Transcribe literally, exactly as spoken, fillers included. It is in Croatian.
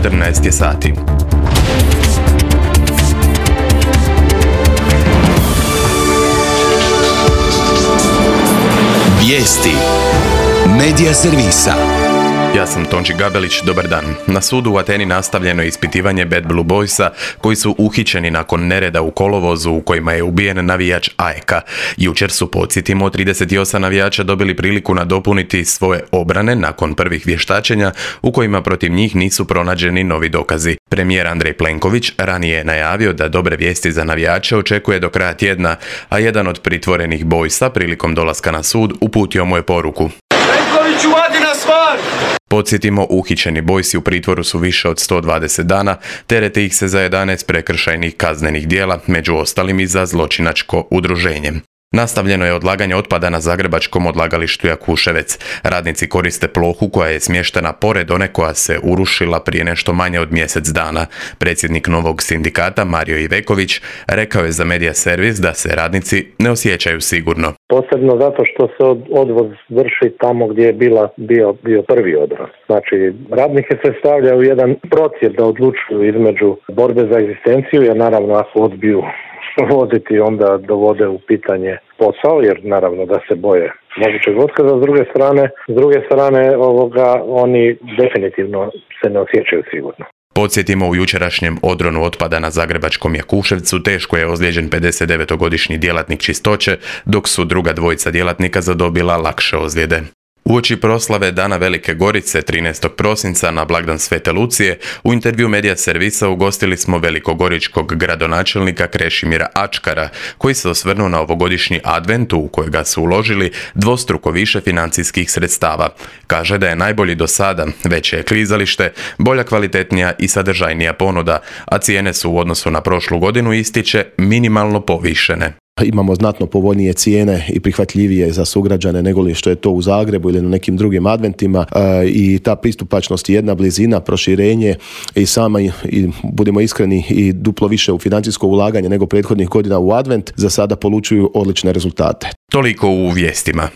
četrnaest je sati. Vijesti Medija servisa. Ja sam Tonči Gabelić, dobar dan. Na sudu u Ateni nastavljeno je ispitivanje Bad Blue Boysa koji su uhićeni nakon nereda u kolovozu u kojima je ubijen navijač A E K-a. Jučer su, podsjetimo, trideset osam navijača dobili priliku nadopuniti svoje obrane nakon prvih vještačenja u kojima protiv njih nisu pronađeni novi dokazi. Premijer Andrej Plenković ranije je najavio da dobre vijesti za navijače očekuje do kraja tjedna, a jedan od pritvorenih Boysa prilikom dolaska na sud uputio mu je poruku: Plenkoviću, vadi na stvar! Podsjetimo, uhićeni Boysi u pritvoru su više od sto dvadeset dana, terete ih se za jedanaest prekršajnih kaznenih djela, među ostalim i za zločinačko udruženje. Nastavljeno je odlaganje otpada na zagrebačkom odlagalištu Jakuševec. Radnici koriste plohu koja je smještena pored one koja se urušila prije nešto manje od mjesec dana. Predsjednik novog sindikata Mario Iveković rekao je za Medija servis da se radnici ne osjećaju sigurno. Posebno zato što se od, odvoz vrši tamo gdje je bila, bio, bio prvi odvoz. Znači, radnike se stavlja u jedan procjep da odlučuju između borbe za egzistenciju, jer naravno ako odbiju voziti, onda dovode u pitanje posao, jer naravno da se boje mogućeg otkaza. S druge strane, s druge strane ovoga, oni definitivno se ne osjećaju sigurno. Podsjetimo, u jučerašnjem odronu otpada na zagrebačkom Jakuševcu teško je ozlijeđen pedesetdevetogodišnji djelatnik čistoće, dok su druga dvojica djelatnika zadobila lakše ozljede. Uoči proslave Dana Velike Gorice trinaestog prosinca na blagdan Svete Lucije, u intervju Medija servisa ugostili smo velikogoričkog gradonačelnika Krešimira Ačkara, koji se osvrnuo na ovogodišnji advent u kojega su uložili dvostruko više financijskih sredstava. Kaže da je najbolji do sada, veće je klizalište, bolja, kvalitetnija i sadržajnija ponuda, a cijene su u odnosu na prošlu godinu, ističe, minimalno povišene. Imamo znatno povoljnije cijene i prihvatljivije za sugrađane nego li što je to u Zagrebu ili na nekim drugim adventima, i ta pristupačnost, jedna blizina, proširenje i sama, i budemo iskreni, i duplo više u financijsko ulaganje nego prethodnih godina u advent za sada polučuju odlične rezultate. Toliko u vijestima.